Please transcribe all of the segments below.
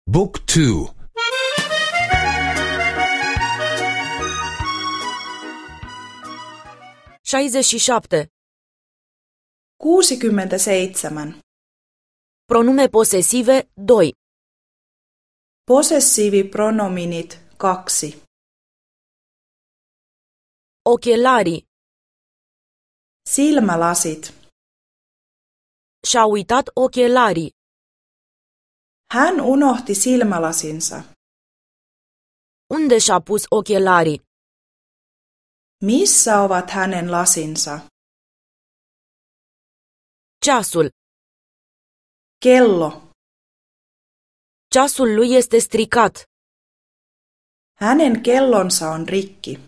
Book 2. 67. 67. Pronume posesive 2. Possessiivipronominit 2. Ochelari. Silmälasit. Și-a uitat ochelarii. Hän unohti silmälasinsa. Unde și-a pus ochelarii? Missä ovat hänen lasinsa? Ceasul. Kello. Ceasul lui este stricat. Hänen kellonsa on rikki.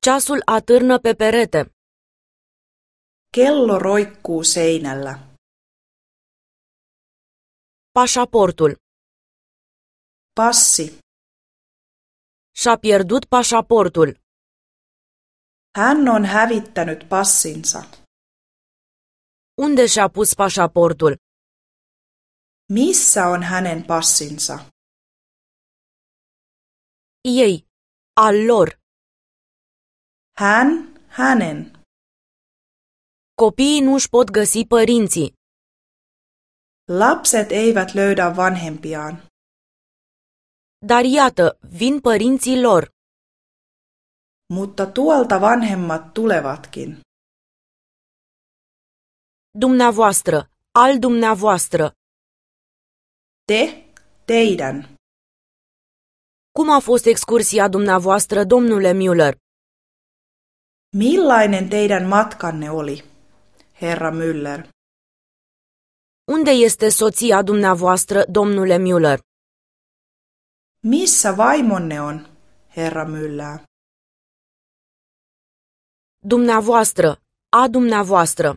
Ceasul atârnă pe perete. Kello roikkuu seinällä. Pașaportul. Passi. Și-a pierdut pașaportul. Hän on hävittänyt passinsa. Unde și-a pus pașaportul? Missä on hänen passinsa? Ei. Al lor. Hän, hänen. Copiii nu își pot găsi părinții. Lapset eivät löydä vanhempiaan. Dar iată, vin părinții lor. Mutta tuolta vanhemmat tulevatkin. Dumneavoastră. Al dumneavoastră. Te, teidän. Cum a fost excursia dumneavoastră, domnule Müller? Millainen teidän matkanne oli, herra Müller? Unde este soția dumneavoastră, domnule Müller? Missä vaimonne on, herra Müller? Dumneavoastră. A dumneavoastră.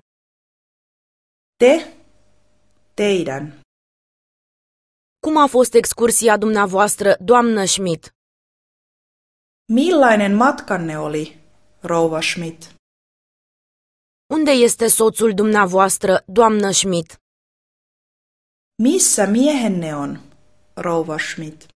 Te, teidän. Cum a fost excursia dumneavoastră, doamnă Schmidt? Millainen matkanne oli, rouva Schmidt? Unde este soțul dumneavoastră, doamnă Schmidt? Missä miehenne on, rouva Schmidt?